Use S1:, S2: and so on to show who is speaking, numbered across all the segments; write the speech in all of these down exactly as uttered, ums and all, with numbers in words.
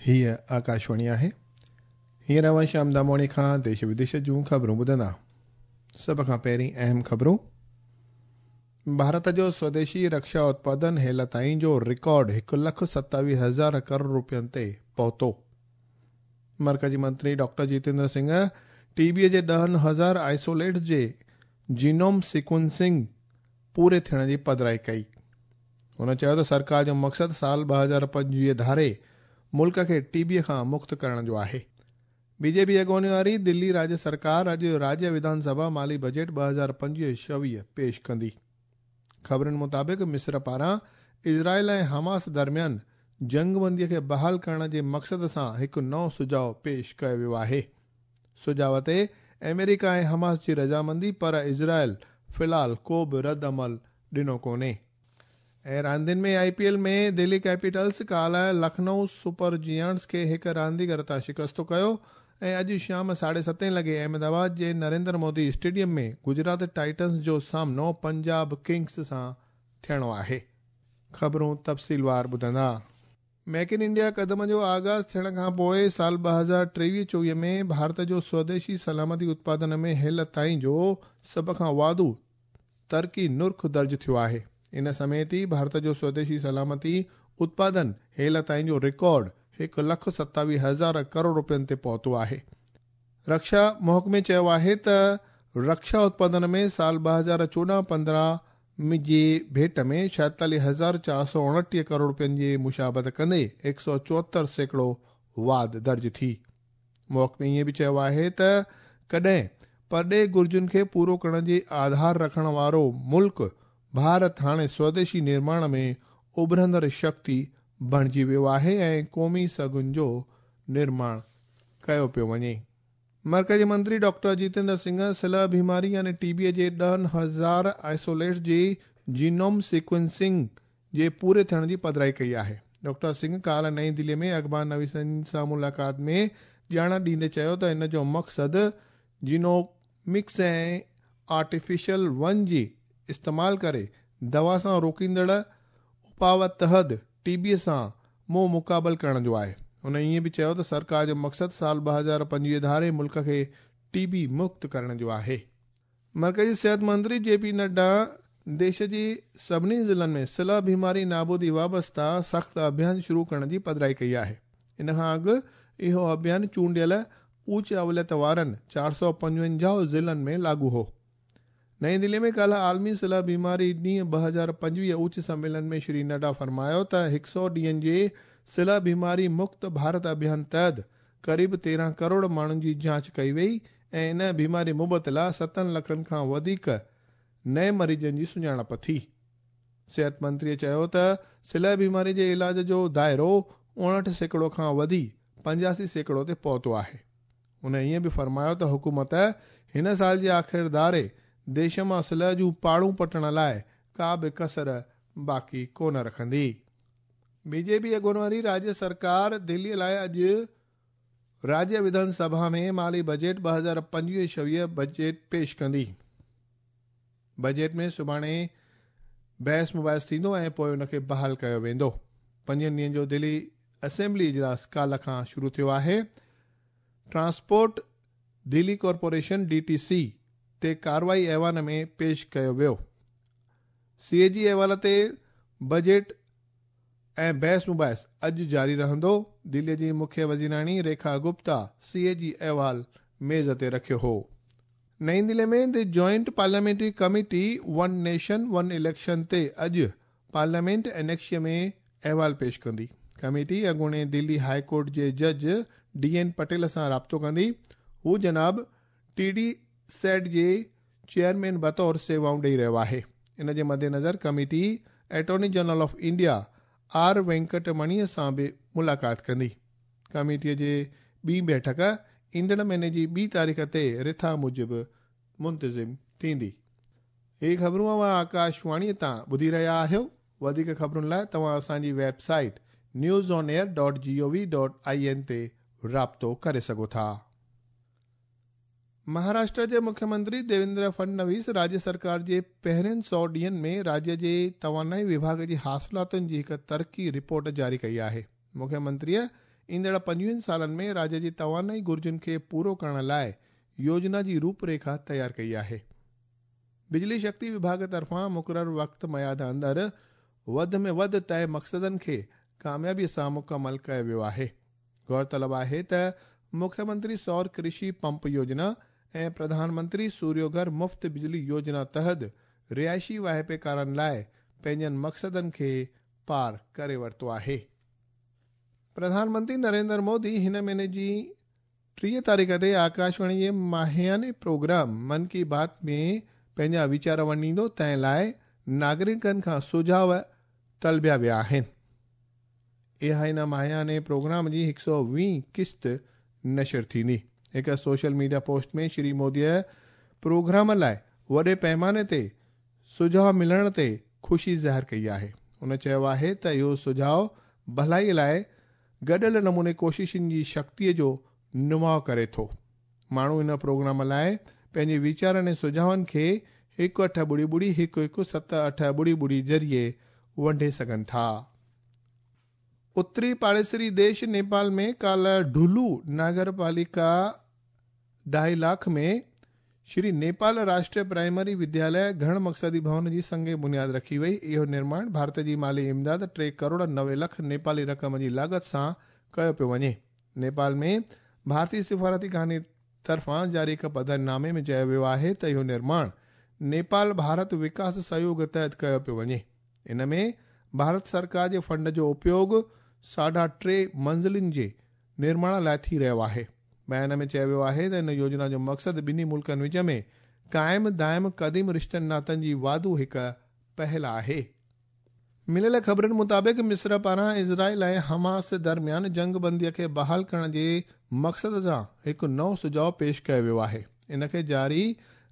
S1: हीअ आकाशवाणी आहे। हींअर अव्हां श्याम दामोणी खां देश विदेश जूं ख़बरूं ॿुधंदा। सभ खां पहिरीं अहम ख़बरूं। भारत जो स्वदेशी रक्षा उत्पादन हेल ताईं जो रिकॉर्ड हिकु लख सतावीह हज़ार करोड़ रुपयनि ते पहुतो। मर्कजी मंत्री डॉक्टर जितेंद्र सिंह टीबीअ जे ॾहनि हज़ार आइसोलेट्स जे जीनोम सीक्वेंसिंग पूरे थियण जी पधराई कई। हुन चयो त सरकार जो मक़सदु साल ॿ हज़ार पंजवीह धारे मुल्क खे टीबीअ खां मुक्त करण जो आहे। बीजेपी अॻवानी वारी दिल्ली राज्य सरकार अॼु राज्य विधानसभा माली बजट ॿ हज़ार पंजवीह छवीह पेश कंदी। ख़बरुनि मुताबिक़ मिस्र पारां इज़राइल ऐं हमास दरमियान जंगबंदीअ खे बहाल करण जे मक़सद सां हिकु नओं सुझाव पेश कयो वियो आहे। सुझाव ते अमेरिका ऐं हमास जी रज़ामंदी, पर इज़राइल फ़िलहाल को बि रद्द अमल ॾिनो कोन्हे। ऐं रांदियुनि में आईपीएल में दिल्ली कैपिटल्स काल्ह लखनऊ सुपर जियांट्स खे हिकु रांदीगर तां शिकस्तो कयो ऐं अॼु शाम साढे सतें लॻे अहमदाबाद जे नरेंद्र मोदी स्टेडियम में गुजरात टाइटन्स जो सामनो पंजाब किंग्स सां थियणो आहे। ख़बरूं तफ़सीलवार ॿुधंदा। मेक इन इंडिया कदम जो आगाज़ थियण खां पोइ साल ॿ हज़ार टेवीह चोवीह में भारत जो स्वदेशी सलामती उत्पादन में हेल ताईं जो सभ खां वाधू तरक़ी नुर्ख़ दर्ज थियो आहे। इन समेत ई भारत जो स्वदेशी सलामती उत्पादन हेल ताईं जो रिकॉर्ड हिकु लख सतावीह हज़ार करोड़ रुपयनि ते पहुतो आहे। रक्षा महकमे चयो आहे त रक्षा उत्पादन में साल ॿ हज़ार चोॾहं पंद्रहं जी भेंट में छाएतालीह हज़ार चारि सौ उणटीह करोड़ रुपयनि जी मुशाबत कंदे हिकु सौ चोहतरि सैकड़ो वाध दर्ज थी। महकमे ईअं बि चयो आहे त कॾहिं परॾेही घुर्जुनि खे पूरो करण जे आधार रखण वारो मुल्क भारत हाणे स्वदेशी निर्माण में उभरंदड़ शक्ति बणिजी वियो आहे ऐं क़ौमी सघुनि जो निर्माण कयो पियो वञे। मर्कजी मंत्री डॉक्टर जितेंद्र सिंह सिलह बीमारी यानी टीबीअ जे ॾहनि हज़ार आइसोलेट्स जी जीनोम सीक्वेंसिंग जे पूरे थियण जी पधराई कई आहे। डॉक्टर सिंह काल्ह नई दिल्लीअ में अख़बार नवीसनि सां मुलाक़ात में ॼाण ॾींदे चयो त इन जो मक़सदु जीनोमिक्स ऐं आर्टिफिशियल वन जी इस्तेमाल करे दवा सां रोकींदड़ उपाव तहत टीबीअ सां मुंहुं मुक़ाबल करण जो आहे। हुन ईअं बि चयो त सरकार जो मक़सदु साल ॿ हज़ार पंजवीह धारे मुल्क खे टीबी मुक्त करण जो आहे। मर्कजी सिहत मंत्री जे पी नड्डा देश जे सभिनी ज़िलनि में सिलह बीमारी नाबूदी वाबस्ता सख़्तु अभियान शुरू करण जी पधराई कई आहे। इन खां अॻु इहो अभियान चूंडियल ऊच अवलियत वारनि चारि सौ पंजवंजाह ज़िलनि में लागू हो। नई दिल्ली में काल्ह आलमी सिलह बीमारी ॾींहुं ॿ हज़ार पंजवीह उच्च सम्मेलन में श्री नड्डा फरमायो त हिकु सौ ॾींहंनि जे सिलह बीमारी मुक्त भारत अभियान तहत क़रीब तेरहं करोड़ माण्हुनि जी जांच कई वई ऐं इन बीमारी मुबतला सतनि लखनि खां वधीक नए मरीज़नि जी सुञाणप थी। सिहत मंत्रीअ चयो त सिलह बीमारी जे इलाज जो दायरो उणहठि सैकड़ो खां वधी पंजासी सैकड़ो ते पहुतो आहे। हुन ईअं बि फरमायो त हुकूमत हिन साल जे आख़िर धारे देश मां सिलह जूं पाड़ूं पटण लाइ का बि कसर बाक़ी कोन रखंदी। बीजेपी अॻवानी वारी राज्य सरकार दिल्लीअ लाइ अॼु राज्य विधानसभा में माली बजट ॿ हज़ार पंजवीह छवीह बजट पेश कंदी। बजट में सुभाणे बहस मुबाहिस थींदो ऐं पोइ उनखे बहाल कयो वेंदो। पंजनि ॾींहंनि जो दिल्ली असेंबली इजलास काल्ह खां शुरू थियो आहे। Transport Delhi corporation D T C ते कार्रवाई ऐवान में पेश कयो वियो। सी ए जी अहवाल ते बजट ऐं बहस मुबाहिस अॼु जारी रहंदो। दिल्लीअ जी मुख्य वज़ीराणी रेखा गुप्ता सी ए जी अहवाल मेज़ ते रखियो हो। नई दिल्ली में the joint parliamentary committee one nation one election ते अॼु पार्लियामेंट एनेक्स में अहवाल पेश कंदी। कमेटी अॻूणे दिल्ली हाई कोर्ट जे जज डी एन पटेल सां राब्तो कंदी। हू जनाब टी डी सेट जे चेयरमैन बतौर सेवाऊं ॾेई रहियो आहे। इन जे मद्देनज़र committee attorney general of India R वेंकटमणीअ सां बि मुलाक़ात कंदी। कमेटीअ जे ॿी बैठक ईंदड़ महीने जी ॿी तारीख़ ते रिथा मूजिबि मुंतज़िम थींदी। हीअ ख़बरूं अव्हां आकाशवाणीअ तां ॿुधी रहिया आहियो। वधीक ख़बरुनि लाइ तव्हां असांजी website news on air dot G O V dot I N ते राब्तो करे सघो था। महाराष्ट्र जे मुख्यमंत्री देवेंद्र फडणवीस राज्य सरकार जे पहिरियनि सौ ॾींहंनि में राज्य जे तवानाई विभाग जी हासिलातुनि जी हिकु तरक़ी रिपोर्ट जारी कई आहे। मुख्यमंत्रीअ ईंदड़ पंजवीहनि सालनि में राज्य जी तवानाई घुर्जुनि खे पूरो करण लाइ योजना जी रूपरेखा तयारु कई आहे। बिजली शक्ति विभाग तरफ़ां मुक़ररु वक़्त मयाद अंदरि वधि में वधि तय मक़सदनि खे कामयाबीअ सां मुकमल कयो वियो आहे। गौरतलब आहे त मुख्यमंत्री सौर कृषि पंप योजना ऐं प्रधानमंत्री सूर्योघर मुफ़्त बिजली योजना तहत रिहाइशी वाहिपेकारनि लाइ पंहिंजनि मक़सदनि खे पार करे वरितो आहे। प्रधानमंत्री नरेंद्र मोदी हिन महीने जी टीह तारीख़ ते आकाशवाणी जे माहियाने प्रोग्राम मन की बात में पंहिंजा वीचार वंडींदो, तंहिं लाइ नागरिकनि खां सुझाव तलबिया विया आहिनि। इहा हिन माहियाने प्रोग्राम जी हिकु सौ वीह किस्त नशर थींदी। हिकु सोशल मीडिया पोस्ट में श्री मोदीअ प्रोग्राम लाइ वॾे पैमाने ते सुझाव मिलण ते ख़ुशी ज़ाहिर कई आहे। हुन चयो आहे त इहो सुझाव भलाई लाइ गॾियल नमूने कोशिशुनि जी शक्तीअ जो नुमाउ करे थो। माण्हू इन प्रोग्राम लाइ पंहिंजे वीचारनि ऐं सुझावनि खे हिकु अठ ॿुड़ी ॿुड़ी हिकु हिकु सत अठ ॿुड़ी ॿुड़ी ज़रिए वंडे सघनि था। उत्तरी पाड़ेसरी देश नेपाल में काल्ह ढुलू नगरपालिका ढाई लाख में श्री नेपाल राष्ट्रीय प्राइमरी विद्यालय घण मक़सदी भवन जी संग बुनियाद रखी वई। इहो निर्माण भारत जी माली इमदाद टे करोड़ नवे लख नेपाली रक़म जी लागत सां कयो पियो वञे। नेपाल में भारतीय सिफ़ारती खाने तरफ़ां जारी हिकु पधरनामे में चयो वियो आहे त इहो निर्माण नेपाल भारत विकास सहयोग तहत कयो पियो वञे। इन में भारत सरकार जे फंड जो उपयोग साढा टे मंज़िलुनि जे निर्माण लाइ थी रहियो आहे। बयान में चयो वियो आहे त इन योजना जो मक़सदु ॿिन्ही मुल्कनि विच में क़ाइम दाइम क़दीम रिश्तनि नातनि जी वाधू हिकु पहल आहे। मिलियल ख़बरुनि मुताबिक़ मिस्र पारां इज़राइल ऐं हमास दरमियान जंग बंदीअ खे बहाल करण जे मक़सद सां हिकु नओं सुझाव पेश कयो वियो आहे। इन खे जारी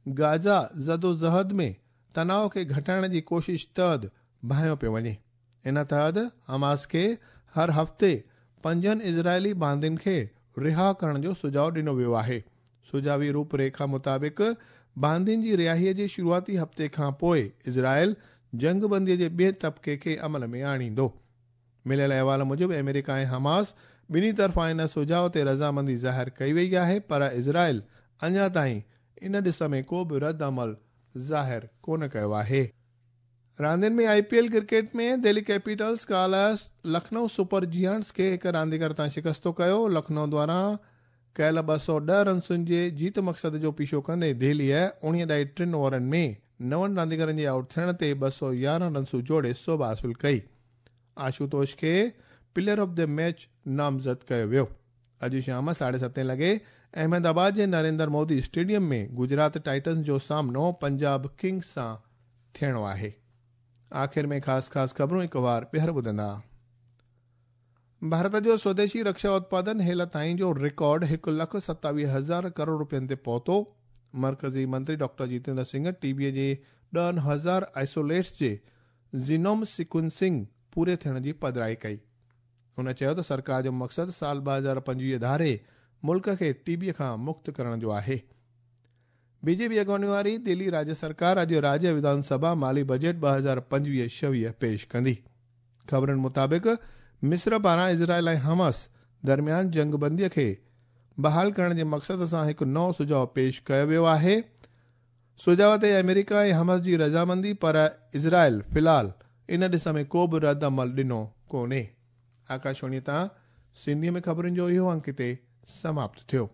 S1: गाज़ा ज़दोजहद में तनाव खे घटाइण जी कोशिश तहत भांयो पियो वञे। इन तहत हमास खे हर हफ़्ते पंजनि इज़राइली बांदियुनि खे रिहा करण जो सुझाव ॾिनो वियो आहे। सुझावी रूपरेखा मुताबिक़ बांदियुनि जी रिहाईअ जे शुरूआती हफ़्ते खां पोइ इज़राइल जंग बंदीअ जे ॿिए तबिके खे अमल में आणींदो। मिलियल अहवाल मूजिबि अमेरिका ऐं हमास ॿिन्ही तरफ़ां इन सुझाव ते रज़ामंदी ज़ाहिर कई वई आहे, पर इज़राइल अञा ताईं इन ॾिस में को बि रद्द अमल ज़ाहिर कोन कयो आहे। रांदियुनि में I P L cricket में दिल्ली कैपिटल्स काल्ह लखनऊ सुपर जियांट्स खे हिकु रांदीगर तां शिकस्तो कयो। लखनऊ द्वारा कयल ॿ सौ ॾह रनसुनि जे जीत मक़सद जो पीछो कंदे दिल्लीअ उणिवीह ॾाई टिनि ओवरनि में नवनि रांदीगरनि जे आउट थियण ते ॿ सौ यारहं रनसूं जोड़े सोभ हासिल कई। आशुतोष खे प्लेयर ऑफ the match नामज़द कयो वियो। अॼु शाम साढे सतें लॻे अहमदाबाद जे नरेंद्र मोदी स्टेडियम में गुजरात टाइटन्स जो सामनो पंजाब किंग्स सां थियणो आहे। आख़िर में ख़ासि ख़ासि ख़बरूं हिकु वार ॿीहर ॿुधंदा। भारत जो स्वदेशी रक्षा उत्पादन हेल ताईं जो रिकॉर्ड हिकु लख सतावीह हज़ार करोड़ रुपयनि ते पहुतो। मर्कज़ी मंत्री डॉक्टर जितेंद्र सिंह टीबीअ जे ॾहनि हज़ार आइसोलेट्स जे जीनोम सीक्वेंसिंग पूरे थियण जी पधराई कई। हुन चयो त सरकार जो मक़सदु साल ॿ हज़ार पंजवीह धारे मुल्क खे टीबीअ खां मुक्त करण जो आहे। बीजेपी अॻवानी वारी दिल्ली राज्य सरकार अॼु राज्य विधानसभा माली बजट ॿ हज़ार पंजवीह छवीह पेश कंदी। ख़बरुनि मुताबिक़ मिस्र पारां इज़राइल ऐं हमास दरमियान जंग बंदीअ खे बहाल करण जे मक़सद सां हिकु नओं सुझाव पेश कयो वियो आहे। सुझाव ते अमेरिका ऐं हमास जी रज़ामंदी, पर इज़राइल फ़िलहाल इन ॾिस में को बि रद्द अमल ॾिनो कोन्हे। आकाशवाणी तां सिंधीअ में ख़बरुनि जो इहो अंक हिते समाप्त थियो।